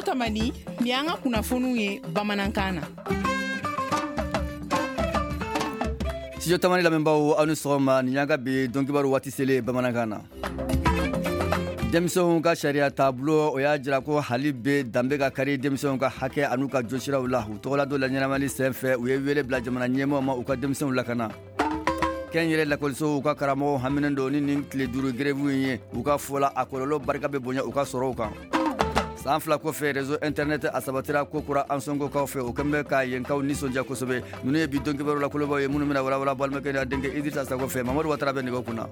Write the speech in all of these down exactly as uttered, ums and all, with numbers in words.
Tamani, ni an ka kunnafoniw ye bamanankan na. Studio Tamani lamɛnbaaw, aw ni sɔgɔma. Nin y'an ka bi donkibaru waati selen bamanankan na. Denmisɛnw ka sariya taabolo, o y'a jira ko hali bɛ danbe ka kari denmisɛnw ka hakɛ an'u ka josiraw la. U tɔgɔla dɔ la ɲɛnamali sen fɛ, u ye wele bila jamana ɲɛmɔgɔ ma, u ka denmisɛnw lakana. Kɛnyɛrɛ lakɔlisow ka karamɔgɔw haminen don ni nin tile duuru grève in ye. U ka fɔ la, a kɔlɔlɔ barika bɛ bonya u ka sɔrɔw kan. San fila kɔfɛ, réseau internet a sabatira kokura Ansongokaw fɛ. O kɛlen bɛ ka yenkaw nisɔndiya kosɛbɛ. Ninnu ye bi donkibaru la kolobaw ye, minnu bɛna walawala balimakɛ n'a denkɛ Idrissa Sakɔ fɛ. Mamadu Watara bɛ nɛgɛ kunna.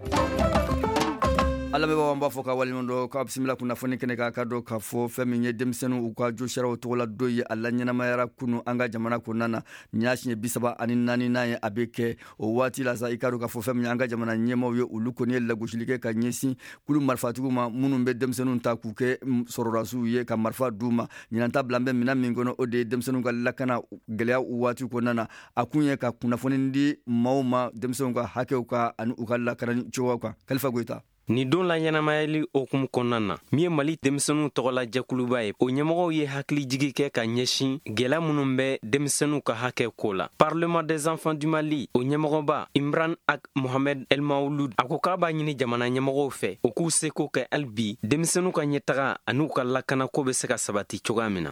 An lamɛnbagaw, an b'a fɔ ka waleɲuman dɔn k'aw bisimila kunnafoni kɛnɛ kan. Ka dɔn k'a fɔ fɛn min ye denmisɛnninw u ka josiraw tɔgɔla dɔ ye, a la ɲɛnamayara kunu an ka jamana kɔnɔna na. Nin y'a siɲɛ bi saba ani naaninan ye a bɛ kɛ. O waati la sa, i k'a dɔn k'a fɔ fɛn min ye an ka jamana ɲɛmaaw ye, olu kɔni ye lagosili kɛ ka ɲɛsin kulu marifatigiw ma minnu bɛ denmisɛnninw ta k'u kɛ sɔrɔdasiw ye, ka marifa d'u ma. Ɲinan ta bila an bɛ minɛn min kɔnɔ, o de ye denmisɛnninw ka lakana gɛlɛya waati kɔnɔna na. A kun ye ka kunnafoni di maaw ma denmisɛnninw ka hakɛw kan ani u ka lakanani cogoyaw kan. Kalifa Goyita. Nin don la ɲɛnamayali hokumu kɔnɔna na, min ye Mali denmisɛnninw tɔgɔla jɛkuluba ye, o ɲɛmɔgɔw ye hakilijigi kɛ ka ɲɛsin gwɛlɛya minnu bɛ denmisɛnninw ka hakɛ ko la. Parlement des enfants du Mali, o ɲɛmɔgɔba Imran Ak Mohamed El Maouloud, a ko k'a b'a ɲini jamana ɲɛmɔgɔw fɛ, u k'u seko kɛ hali bi denmisɛnninw ka ɲɛtaga an'u ka lakanako bɛ se ka sabati cogoya min na.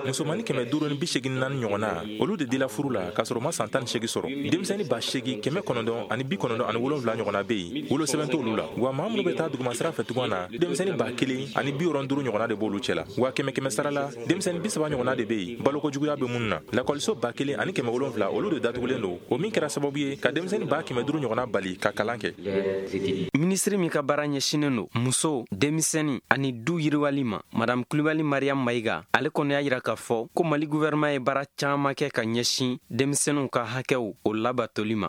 Musomani kɛmɛ duuru ni bi segin naani ɲɔgɔnna, olu de dila furu la k'a sɔrɔ u ma san tan ni seegin sɔrɔ. Denmisɛnnin ba seegin kɛmɛ kɔnɔntɔn ani bi kɔnɔntɔn ani wolonwula ɲɔgɔnna bɛ yen, wolosɛbɛn t'olu la. Wa maa minnu bɛ taa duguma sira fɛ tugun na, denmisɛnnin ba kelen ani bi wɔɔrɔ duuru ɲɔgɔnna de b'olu cɛ la. Wa kɛmɛ kɛmɛ sara la, denmisɛnnin bi saba ɲɔgɔnna de bɛ yen, balokojuguya bɛ minnu na. Lakɔliso ba kelen ani kɛmɛ wolonwula, olu de datugulen don, o min kɛra sababu ye ka denmisɛnnin ba kɛmɛ duuru ɲɔgɔnna bali ka kalan kɛ. Minisiri min ka baara ɲɛsinnen don muso, denmisɛnnin ani du yiriwali ma, Madame Kulibali Mariam Mayiga, ale kɔni y'a jira k'a fɔ ko Mali gouvernement ye baara caman kɛ ka ɲɛsin denmisɛnninw ka hakɛw o labatoli ma.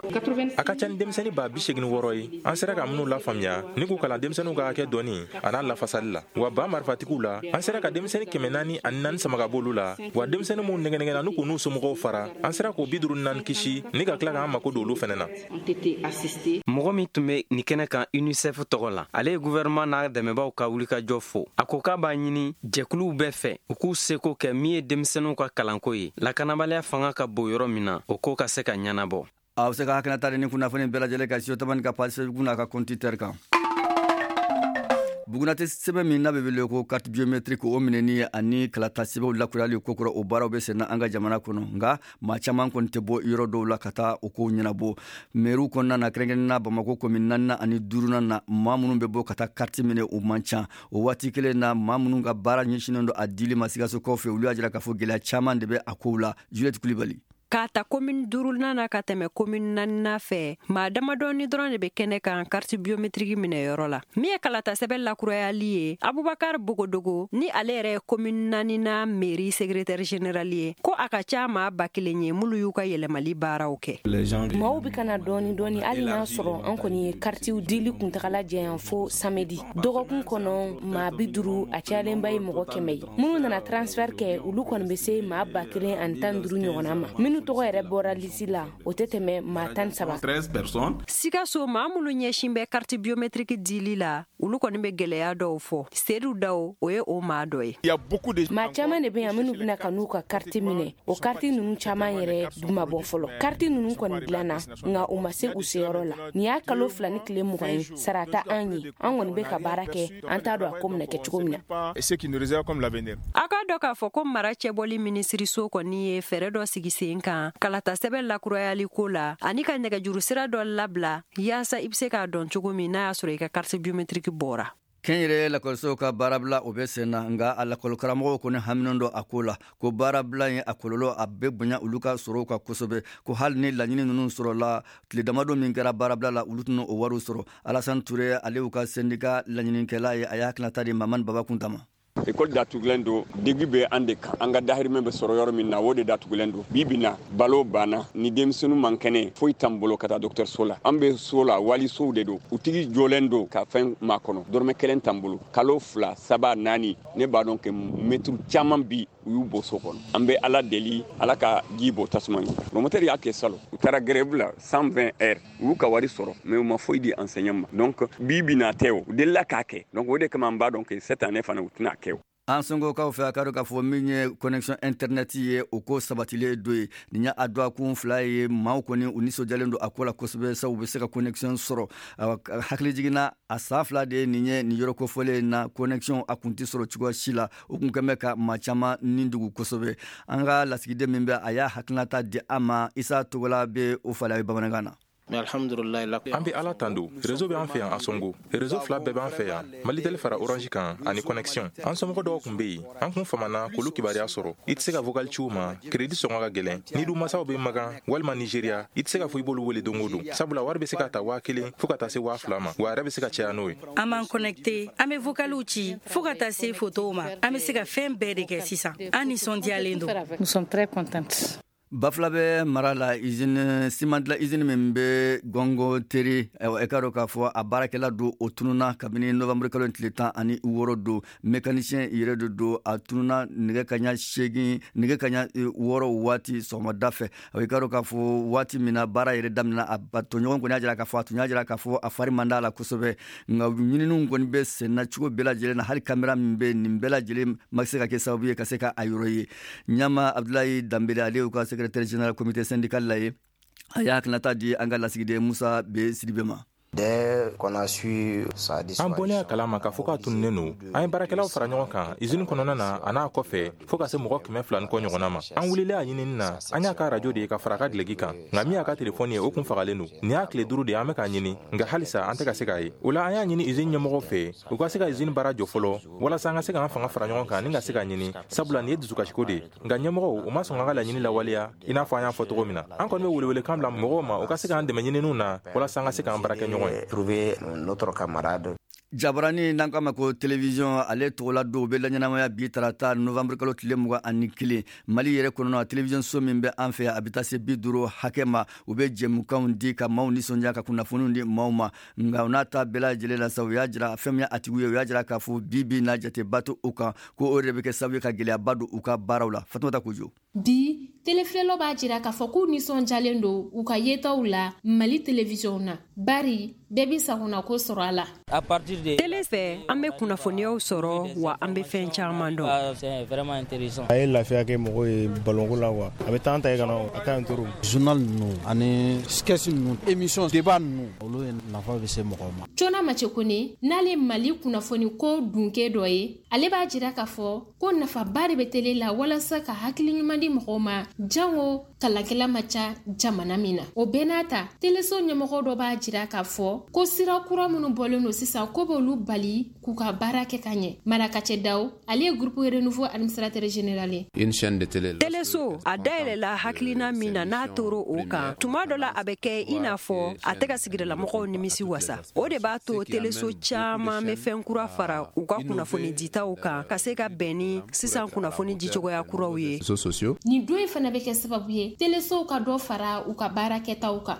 A ka ca ni denmisɛnnin ba bi seegin wɔɔrɔ ye, an sera ka minnu lafaamuya ni k'u kalan denmisɛnninw ka hakɛ dɔnni a n'a lafasali la. Wa ba marifatigiw la, an sera ka denmisɛnnin kɛmɛ naani ani naani sama ka b'olu la. Wa denmisɛnnin minnu nɛgɛnɛgɛnna n'u k'u n'u somɔgɔw fara, an sera k'o bi duuru ni naani kisi ni ka tila k'an mako don olu fɛnɛ na. Mɔgɔ min tun bɛ nin kɛnɛ kan UNICEF tɔgɔ la, ale ye gouvernement n'a dɛmɛbaaw ka wulikajɔ fo. A ko k'a b'a ɲini jɛkuluw bɛɛ fɛ, u k'u seko kɛ min ye denmisɛnninw ka kalanko ye, lakanabaliya fanga ka bon yɔrɔ min na, o ko ka se ka ɲɛnabɔ. Aw bɛ se ka hakilinata di ni kunnafoni bɛɛ lajɛlen kan Studio Tamani ka page Facebook n'a ka compte Twitter kan. Bugunate sɛbɛn min n'a bɛ wele ko carte biométrique, o minɛni ani kalata sɛbɛnw lakurayali kokura, o baaraw bɛ senna an ka jamana kɔnɔ. Nka maa caman kɔni tɛ bɔ yɔrɔ dɔw la ka taa o kow ɲɛnabɔ mɛriw kɔnɔna na, kɛrɛnkɛrɛnnenya Bamakɔ commune naaninan ani duurunan na. Maa minnu bɛ bɔ ka taa carte minɛ, o man ca. O waati kelen na, maa minnu ka baara ɲɛsinnen don a dili ma Sikasokaw fɛ, olu y'a jira k'a fɔ gɛlɛya caman de bɛ a kow la. Juliette Kulibali. K'a ta commune duurunan na ka tɛmɛ commune naaninan fɛ, maa damadɔni dɔrɔn de bɛ kɛnɛ kan carte biométrique minɛyɔrɔ la. Min ye kalata sɛbɛn lakurayali ye, Abubakar Bogodogo ni ale yɛrɛ ye commune naaninan mairie secrétaire général ye, ko a ka ca maa ba kelen ye minnu y'u ka yɛlɛmali baaraw kɛ. Maaw bɛ ka na dɔɔni dɔɔni, hali n'a sɔrɔ an kɔni ye karitiw dili kuntagala janya fo samedi. Dɔgɔkun kɔnɔ, maa bi duuru, a cayalenba ye mɔgɔ kɛmɛ ye. Minnu nana transfert kɛ, olu kɔni bɛ se maa ba kelen ani tan duuru ɲɔgɔnna ma. Minnu tɔgɔ yɛrɛ bɔra lisi la, o tɛ tɛmɛ maa tan saba. Sikaso, maa minnu ɲɛsin bɛ carte biométrique dili la, olu kɔni bɛ gɛlɛya dɔw fɔ. Sedu Daw, o ye o maa dɔ ye. Maa caman de bɛ yan minnu bɛna ka n'u ka kariti minɛ. O kariti ninnu caman yɛrɛ dun ma bɔ fɔlɔ. Kariti ninnu kɔni dilanna, nka u ma se u seyɔrɔ la. Nin y'a kalo fila ni tile mugan ye, sara tɛ an ye. An kɔni bɛ ka baara kɛ, an t'a dɔn a ko bɛna kɛ cogo min na. A k'a dɔn k'a fɔ ko mara cɛbɔli minisiriso kɔni ye fɛɛrɛ dɔ sigi sen kan kalata sɛbɛn lakurayali ko la, ani ka nɛgɛjuru sira dɔ labila yaasa i bɛ se k'a dɔn cogo min n'a y'a sɔrɔ i ka carte biométrique bɔra. Kɛnyɛrɛ lakɔlisow ka baarabila, o bɛ sen na. Nka a lakɔlikaramɔgɔw kɔni haminen don a ko la, ko baarabila ye a kɔlɔlɔ a bɛ bonya olu ka sɔrɔw kan kosɛbɛ, ko hali ni laɲini ninnu sɔrɔla, tile damadɔ min kɛra baarabila la, olu tɛna o wariw sɔrɔ. Alassane Touré, ale y'u ka syndicat laɲinikɛla ye, a y'a hakilinata di Mamani Baba Kunta ma. Ekɔli datugulen don, degi bɛ an de kan. An ka dahirimɛ bɛ sɔrɔ yɔrɔ min na, o de datugulen don. Bi bi na, balo banna. Ni denmisɛnninw man kɛnɛ, foyi t'an bolo ka taa dɔgɔtɔrɔso la. An bɛ so la, walisow de don, u tigi jɔlen don ka fɛn makɔnɔ. Dɔrɔmɛ kelen t'an bolo, kalo fila, saba, naani. Ne b'a dɔn que mɛtiri caman bi, u y'u bɔ so kɔnɔ. An bɛ Ala deli, Ala ka ji bɔ tasuma ɲɛ. Promoteur y'a kɛ salon, u taara grève la cent vingt heures, u y'u ka wari sɔrɔ, mais u ma foyi di enseignant ma. Donc bi bi na tɛ, o u delila k'a kɛ. Donc o de kama an b'a dɔn que cette année fana, u tɛna kɛ o. Ansongokaw fɛ a ka dɔn k'a fɔ min ye connexion internet ye, o ko sabatilen don ye. Nin ye a dɔgɔkun fila ye, maaw kɔni u nisɔndiyalen don a ko la kosɛbɛ, sabu u bɛ se ka connexion sɔrɔ. Hakili jiginna a san fila de ye nin ye nin yɔrɔ kofɔlen na, connexion a kun tɛ sɔrɔ cogoya si la, o kun kɛn bɛ ka maa caman ni dugu kosɛbɛ. An ka lasigiden min bɛ, a y'a hakilinata di an ma, Isa Togola bɛ o falen a ye bamanankan na. An bɛ Ala tando, réseau bɛ an fɛ yan Ansongo. Réseau fila bɛɛ b'an fɛ yan, Malitel fara Orange kan ani connexion. An somɔgɔ dɔw tun bɛ yen, an kun famana k'olu kibaruya sɔrɔ. I tɛ se ka vocal ci u ma, crédit sɔngɔ ka gɛlɛn. N'i dun masaw bɛ Magan walima Nigeria, i tɛ se ka fɔ i b'olu wele don o don, sabula wari bɛ se ka ta waa kelen fo ka taa se waa fila ma, wa a yɛrɛ bɛ se ka caya n'o ye. An b'an connecté, an bɛ vocaliw ci fo ka taa se photow ma. An bɛ se ka fɛn bɛɛ de kɛ sisan. An nisɔndiyalen don. Nous sommes très contentes. Bafulabe mara la, usine siman dilan usine min bɛ Gɔngɔ Teri, e ka dɔn k'a fɔ a baarakɛla don, o tununa kabini novembre kalo tile tan ani wɔɔrɔ don. Mécanicien yɛrɛ de don, a tununa nɛgɛ kaɲa seegin, nɛgɛ kaɲa wɔɔrɔ waati sɔgɔmada fɛ. I ka dɔn k'a fɔ waati min na baara yɛrɛ daminɛna, a tɔɲɔgɔn kɔni y'a jira k'a fɔ a tun y'a jira k'a fɔ a fari man d'a la kosɛbɛ, nka ɲininiw kɔni bɛ sen na cogo bɛɛ lajɛlen na. Hali kamera min bɛ nin bɛɛ lajɛlen ma se ka kɛ sababu ye ka se ka a yɔrɔ ye. Ɲama Abdulayi Danbele, ale y'u ka secrétaire général comité syndical la ye, a y'a hakilinata di an ka lasigiden Musa B Sidibe ma. An bɔlen a kalama k'a fɔ k'a tununnen don, an ye baarakɛlaw fara ɲɔgɔn kan usine kɔnɔna na a n'a kɔfɛ fo ka se mɔgɔ kɛmɛ fila ni kɔ ɲɔgɔnna ma. An wulilen a ɲinini na, an y'a ka arajo de ye ka fara a ka gileki kan, nka min y'a ka telefɔni ye, o kun fagalen don. Nin y'a tile duuru de ye an bɛ k'a ɲini, nka halisa an tɛ ka se k'a ye. O la an y'a ɲini usine ɲɛmɔgɔw fɛ, u ka se ka usine baara jɔ fɔlɔ walasa an ka se k'an fanga fara ɲɔgɔn kan ni ka se k'a ɲini, sabula nin ye dusukasiko de ye. Nka ɲɛmɔgɔw u ma sɔn k'an ka laɲini lawaleya i n'a fɔ an y'a fɔ cogo min na. An kɔni bɛ welewelekan bila mɔgɔw ma, u ka se k'an dɛmɛ ɲininiw na walasa an ka se k'an baara kɛ ɲɔgɔn. Trouver notre camarade. Jabarani n'an k'a ma ko télévision, ale tɔgɔla dɔw bɛ laɲɛnamaya bi tarata novembre kalo tile mugan ani kelen. Mali yɛrɛ kɔnɔna, télévision so min bɛ an fɛ yan, a bɛ taa se bi duuru hakɛ ma. U bɛ jɛmukanw di ka maaw nisɔndiya, ka kunnafoniw di maaw ma. Nka u n'a ta bɛɛ lajɛlen la sa, u y'a jira fɛn min ye a tigiw ye, u y'a jira k'a fɔ bi bi n'a jateba to u kan, ko o de bɛ kɛ sababu ye ka gɛlɛyaba don u ka baaraw la. Fatumata Kojo. Bi telefilɛlaw b'a jira k'a fɔ k'u nisɔndiyalen don u ka yetaw la Mali télévision na, bari bɛɛ bi sagonako sɔrɔ a la. Tele fɛ, an bɛ kunnafoniyaw sɔrɔ, wa an bɛ fɛn caman dɔn. A ye lafiya kɛ mɔgɔw ye balonko la wa a bɛ taa ta ye ka na, a ka ɲi trop. Journal ninnu ani sketch ninnu, émission débat ninnu, olu ye nafa bɛ se mɔgɔw ma. Cona Macekone, n'ale Mali kunnafoni ko dunke dɔ ye, ale b'a jira k'a fɔ ko nafaba de bɛ tele la walasa ka hakili ɲuman di mɔgɔw ma, jango kalankɛla ma ca jamana min na. O bɛɛ n'a ta, teleso ɲɛmɔgɔ dɔ b'a jira k'a fɔ ko sira kura minnu bɔlen don sisan, ko b'olu bali k'u ka baara kɛ ka ɲɛ. Marakacɛ Daw, ale ye groupe Renouveau administrateur général ye. Une chaîne de télé. Teleso a dayɛlɛla hakilina min na, n'a toro o kan, tuma dɔ la a bɛ kɛ i n'a fɔ a tɛ ka sigidalamɔgɔw nimisi wasa. O de b'a to teleso caman bɛ fɛn kura fara u ka kunnafoni ditaw kan, ka se ka bɛn ni sisan kunnafoni dicogoya kuraw ye. Nin don in fana bɛ kɛ sababu ye telesow ka dɔ fara u ka baara kɛtaw kan.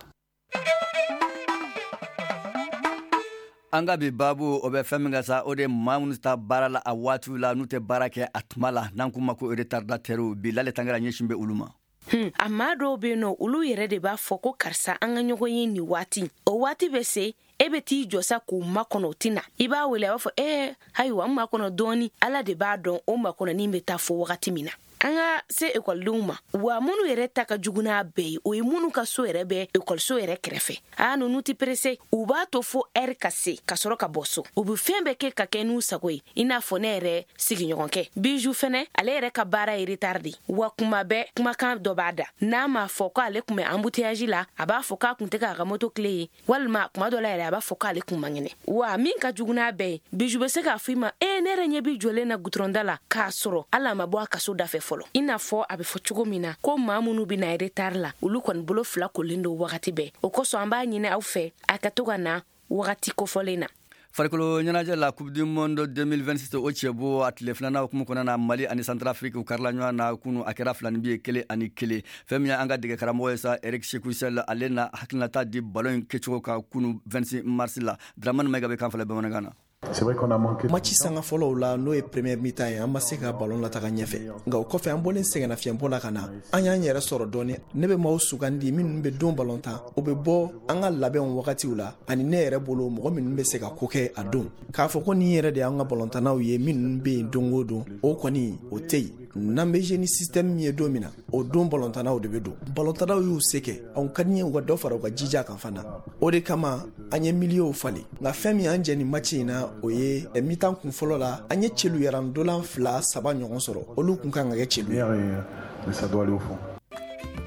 An ka bi baabu, o bɛ fɛn min kan sa, o de maa minnu ta baara la a waatiw la, n'u tɛ baara kɛ a tuma la, n'an k'u ma ko retardatɛriw. Bi Lale Tangara ɲɛsin bɛ olu ma. Hmm, a maa dɔw bɛ yen nɔ, olu yɛrɛ de b'a fɔ ko karisa, an ka ɲɔgɔn ye nin waati. O waati bɛ se, e bɛ t'i jɔ sa k'u makɔnɔ, o tɛ na. I b'a wele, a b'a fɔ ee ayiwa, n makɔnɔ dɔɔni. Ala de b'a dɔn o makɔnɔni bɛ taa fo wagati min na. An ka se ekɔlidenw ma, wa minnu yɛrɛ ta ka jugu n'a bɛɛ ye, o ye minnu ka so yɛrɛ bɛ ekɔliso yɛrɛ kɛrɛfɛ. Aa, ninnu tɛ perese, u b'a to fo ɛri ka se ka sɔrɔ ka bɔ so. U bɛ fɛn bɛɛ kɛ ka kɛ n'u sago ye, i n'a fɔ ne yɛrɛ sigiɲɔgɔnkɛ Biju fɛnɛ, ale yɛrɛ ka baara ye retard de. Wa kuma bɛɛ kumakan dɔ b'a da, n'a m'a fɔ k'ale kun bɛ embouteillage la, a b'a fɔ k'a kun tɛ k'a ka moto kile ye, walima kuma dɔ la yɛrɛ a b'a fɔ k'ale kun man kɛnɛ. Wa min ka jugu n'a bɛɛ ye, Biju bɛ se k'a fɔ i ma ee ne yɛrɛ ɲɛ b'i jɔlen na gudɔrɔnda la, k'a sɔrɔ hali a ma bɔ a kaso da fɛ fɔlɔ. I n'a fɔ a bɛ fɔ cogo min na ko maa minnu bɛ na retard la, olu kɔni bolo fila kolen don wagati bɛɛ. O kosɔn an b'a ɲini aw fɛ, a ka to ka na wagati kofɔlen na. Farikolo ɲɛnajɛ la, Coupe du monde deux mille vingt-six, o cɛbo a tile filanan hukumu kɔnɔna na, Mali ani Centrafrique u karila ɲɔgɔn na kunu, a kɛra filani bi ye kelen ani kelen. Fɛn min ye an ka dege karamɔgɔ ye sa, Eric Sekou Chelle, ale na hakilinata di ballon in kɛcogo kan kunu vingt-six mars la. Dramani Mayiga bɛ kan fila bamanankan na. Match sanga fɔlɔw la, n'o ye première mi-temps ye, an ma se ka ballon lataga ɲɛfɛ, nka o kɔfɛ an bɔlen sɛgɛnnafiɲɛbɔ la ka na, an y'an yɛrɛ sɔrɔ dɔɔni. Ne bɛ maaw sugandi minnu bɛ don ballon tan, o bɛ bɔ an ka labɛnw wagatiw la, ani ne yɛrɛ bolo mɔgɔ minnu bɛ se ka ko kɛ a don. K'a fɔ ko nin yɛrɛ de y'an ka ballontannaw ye minnu bɛ yen don o don, o kɔni o tɛ yen. N'an bɛ jouer ni système min ye don min na, o don ballontannaw de bɛ don. Ballontannaw y'u se kɛ, anw ka di ye u ka dɔ fara u ka jija kan fana. O de kama an ye milieuw falen. Nka fɛn min y'an jɛ nin match in na, o ye mi-temps kun fɔlɔ la, an ye celu yarandolan fila saba ɲɔgɔn sɔrɔ, olu kun kan ka kɛ celu ye.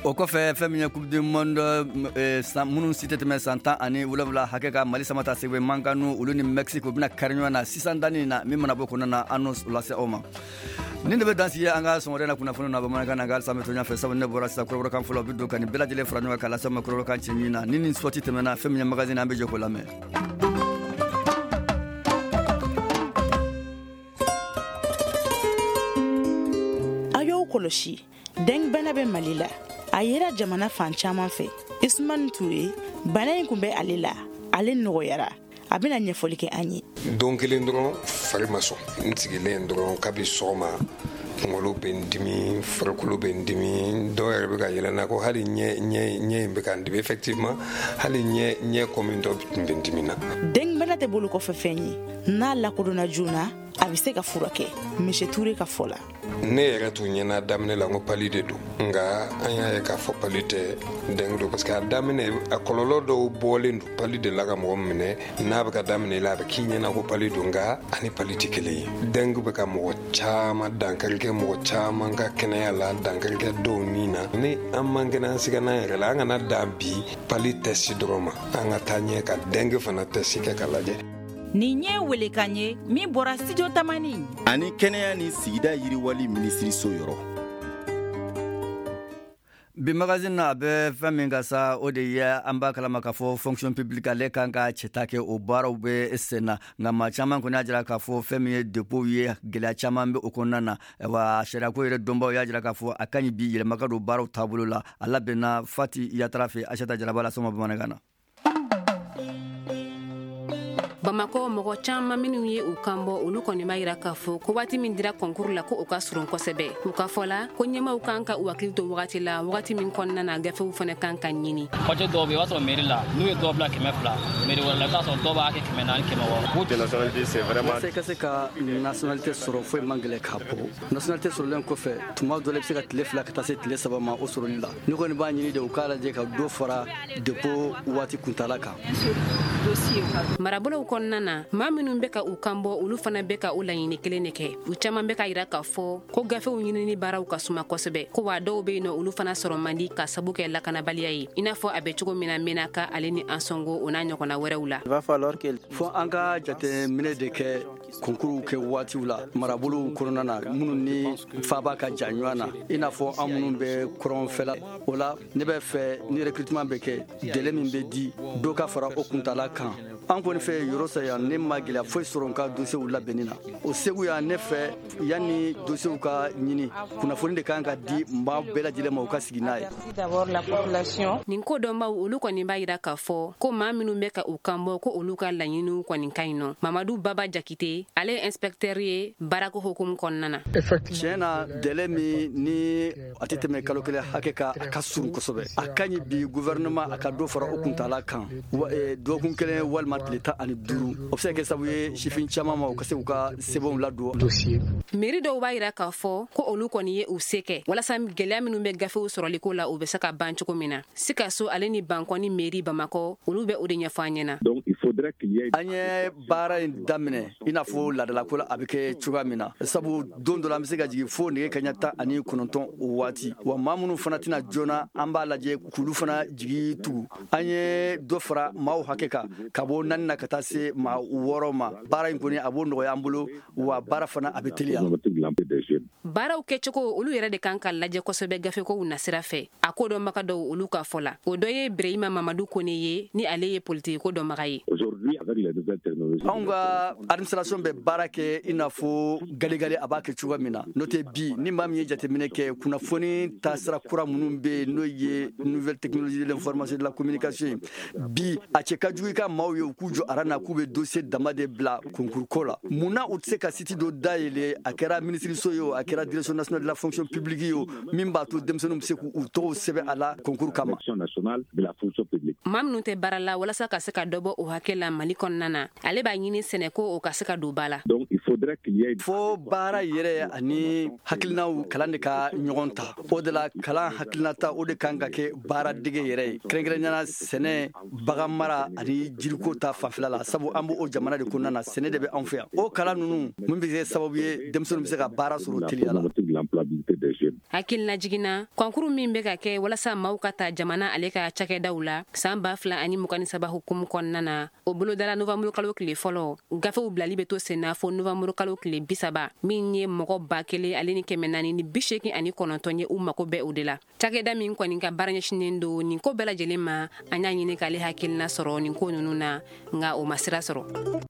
O kɔfɛ, fɛn min ye Coupe du monde minnu si tɛ tɛmɛ san tan ani wolonwula hakɛ ka, Mali Samata Sebe Mankanu, olu ni Mexique, u bɛna kari ɲɔgɔn na sisan danni na. Min mana bɔ kɔnɔna na, an n'o lase aw ma. Nin de bɛ dan sigi an ka sɔgɔmada na kunnafoni na bamanankan na. Nka halisa an bɛ to ɲɛfɛ, sabu ne bɔra sisan kɔrɔbɔrɔkan fɔlɔ bɛ don ka nin bɛɛ lajɛlen fara ɲɔgɔn kan ka lase aw ma kɔrɔbɔrɔkan cɛɲi na. Ni nin sɔti tɛmɛna, fɛn min ye magazine, an bɛ jɛ k'o lamɛn. A y'aw kɔlɔsi, dengue bana bɛ Mali la. A yera jamana fan caman fɛ. Isumani Ture, bana in kun bɛ ale la, ale nɔgɔyara. A bɛna ɲɛfɔli kɛ an ye. Don kelen dɔrɔn fari ma sɔn, n sigilen dɔrɔn kabi sɔgɔma, kunkolo bɛ n dimi, farikolo bɛ n dimi, dɔw yɛrɛ bɛ ka yɛlɛ n na ko hali ɲɛ ɲɛ ɲɛ in bɛ ka n dimi. Effectivement, hali ɲɛ ɲɛ kɔmi dɔ tun bɛ n dimi na. Dengue bana tɛ bolo kɔfɛ fɛn ye, n'a lakodɔnna joona, a bɛ se ka furakɛ. Monsieur Ture ka fɔ la. Ne yɛrɛ tun ɲɛna daminɛ la n ko palu de don, nka an y'a ye k'a fɔ palu tɛ, dengue don, parce que a daminɛ, a kɔlɔlɔ dɔw bɔlen don palu de la ka mɔgɔ minɛ. N'a bɛ ka daminɛ la, a bɛ k'i ɲɛna ko palu don, nka ani palu tɛ kelen ye. Dengue bɛ ka mɔgɔ caman dankari kɛ, mɔgɔ caman ka kɛnɛya la, dankari kɛ dɔw ni na. Ni an man kɛnɛ, an siga n'an yɛrɛ la, an kana dan bi palu test dɔrɔn ma, an ka taa ɲɛ ka dengue fana test kɛ ka lajɛ. Nin ye welekan ye min bɔra Studio Tamani ani kɛnɛya ni sigida yiriwali minisiriso yɔrɔ. Bi magazine na, a bɛ fɛn min ka sa, o de ye an b'a kalama k'a fɔ fonction publique ale kan ka cɛta kɛ, o baaraw bɛ sen na. Nka maa caman kɔni y'a jira k'a fɔ fɛn min ye dépôt ye, gɛlɛya caman bɛ o kɔnɔna na. Wa sariyako yɛrɛ dɔnbaw y'a jira k'a fɔ a ka ɲi bi yɛlɛma ka don baaraw taabolo la. A labɛnna Fati Yatara fɛ, Asata Jaraba la sɔn ma bamanankan na. Bamakɔ mɔgɔ caman minnu ye u kan bɔ, olu kɔni b'a yira k'a fɔ ko waati min dira concours la, ko o ka surun kosɛbɛ. U ka fɔ la ko ɲɛmaw kan ka u hakili to wagati la, wagati min kɔnɔna na gafew fana kan ka ɲini. Papier dɔw bɛ yen, i b'a sɔrɔ mairie la, n'u ye dɔw bila kɛmɛ fila, mairie wɛrɛ la, i bɛ t'a sɔrɔ dɔw b'a kɛ kɛmɛ naani, kɛmɛ wɔɔrɔ. Walasa i ka se ka nationalité sɔrɔ, foyi man gɛlɛn k'a bɔ. Nationalité sɔrɔlen kɔfɛ, tuma dɔ la, i bɛ se ka tile fila ka taa se tile saba ma o sɔrɔli la. Ne kɔni b'a ɲini de, u k'a lajɛ ka dɔ fara dépôt waati kuntala kan. Marabolow kɔnɔna na, maa minnu bɛ ka u kan bɔ, olu fana bɛ ka o laɲini kelen de kɛ. U caman bɛ ka yira k'a fɔ ko gafew ɲinini baaraw ka suma kosɛbɛ, ko wa dɔw bɛ yen nɔ, olu fana sɔrɔ man di ka sabu kɛ lakanabaliya ye, i n'a fɔ a bɛ cogo min na Menaka ale ni Ansongo, o n'a ɲɔgɔnna wɛrɛw la. Fo an ka jateminɛ de kɛ concours kɛ waatiw la marabolow kɔnɔna na minnu ni faba ka jan ɲɔgɔn na, i n'a fɔ an minnu bɛ kɔrɔnfɛla. O la, ne bɛ fɛ ni recrutement bɛ kɛ, délai min bɛ di, dɔ ka fara o kuntala kan. An kɔni fɛ yɔrɔ sa yan, ne ma gɛlɛya foyi sɔrɔ n ka dossierw labɛnni na. O Segu yan, ne fɛ yanni dossierw ka ɲini, kunnafoni de kan ka di maa bɛɛ lajɛlen ma, u ka sigi n'a ye. Nin ko dɔnbaw, olu kɔni b'a yira k'a fɔ ko maa minnu bɛ ka u kan bɔ, ko olu ka laɲiniw kɔni ka ɲi nɔ. Mamadu Baba Jakite, ale ye inspecteur ye baarako hukumu kɔnɔna na. Tiɲɛ na, délai min ni a tɛ tɛmɛ kalo kelen hakɛ kan, a ka surun kosɛbɛ. A ka ɲi bi gouvernement a ka dɔ fara o kuntala kan, dɔgɔkun kelen walima tile tan ani duuru. O bɛ se ka kɛ sababu ye sifin caman ma, u ka se k'u ka sɛbɛnw ladon. Mairie dɔw b'a yira k'a fɔ ko olu kɔni ye u se kɛ walasa gɛlɛya minnu bɛ gafew sɔrɔliko la, u bɛ se ka ban cogo min na. Sikaso ale ni Bankɔni mairie Bamakɔ, olu bɛ o de ɲɛfɔ an ɲɛna. An ye baara in daminɛ i n'a fɔ laadalako la a bɛ kɛ cogoya min na, sabu don dɔ la, an bɛ se ka jigin fo nɛgɛ kaɲa tan ani kɔnɔntɔn o waati. Wa maa minnu fana tɛna joona, an b'a lajɛ k'olu fana jigi tugu. An ye dɔ fara maaw hakɛ kan ka bɔ naani na ka taa se maa wɔɔrɔ ma. Baara in kɔni, a b'o nɔgɔya an bolo, wa baara fana a bɛ teliya. Baaraw kɛcogo olu yɛrɛ de kan ka lajɛ kosɛbɛ gafekow nasira fɛ. A ko dɔnbaga dɔw olu ka fɔ la, o dɔ ye Birehima Mamadu Kone ye, ni ale ye politikiko dɔnbaga ye. Anw ka administration bɛ baara kɛ i n'a fɔ galegale a b'a kɛ cogoya min na. N'o tɛ, bi ni maa min ye jateminɛ kɛ, kunnafoni taasira kura minnu bɛ yen, n'o ye nouvelle technologie de l'information, de la communication ye, bi a cɛ ka jugu i ka maaw ye u k'u jɔ aran na k'u bɛ dossier dama de bila concours ko la. Mun na u tɛ se ka site dɔ dayɛlɛ, a kɛra minisiriso ye o, a kɛra Direction nationale de la fonction publique ye o, min b'a to denmisɛnninw bɛ se k'u tɔgɔw sɛbɛn a la concours kama? Maa minnu tɛ baara la, walasa ka se ka dɔ bɔ o hakɛ la Mali kɔnɔna na, ale b'a ɲini sɛnɛko o ka se ka don ba la. Fo baara yɛrɛ ani hakilinaw kalan de ka ɲɔgɔn ta. O de la, kalan hakilinata, o de kan ka kɛ baara dege yɛrɛ ye, kɛrɛnkɛrɛnnenya sɛnɛ, bagan mara ani jiriko ta fanfɛla la, sabu an b'o jamana de kɔnɔna na, sɛnɛ de bɛ anw fɛ yan. O kalan ninnu mun bɛ kɛ sababu ye denmisɛnninw bɛ se ka baara sɔrɔ teliya la. Hakilina jiginna, kɔnkuru min bɛ ka kɛ walasa maaw ka ta jamana ale ka cakɛdaw la san ba fila ani mugan ni saba hukumu kɔnɔna na, o bolodala novanburu kalo tile fɔlɔ. Gafew bilali bɛ to senna fo novanburu kalo tile bi saba. Min ye mɔgɔ ba kelen ale ni kɛmɛ naani ni bi seegin ani kɔnɔntɔn ye, u mako bɛ o de la. Cakɛda min kɔni ka baara ɲɛsinnen don nin ko bɛɛ lajɛlen ma, an y'a ɲini k'ale hakilina sɔrɔ nin ko ninnu na, nka o ma sira sɔrɔ.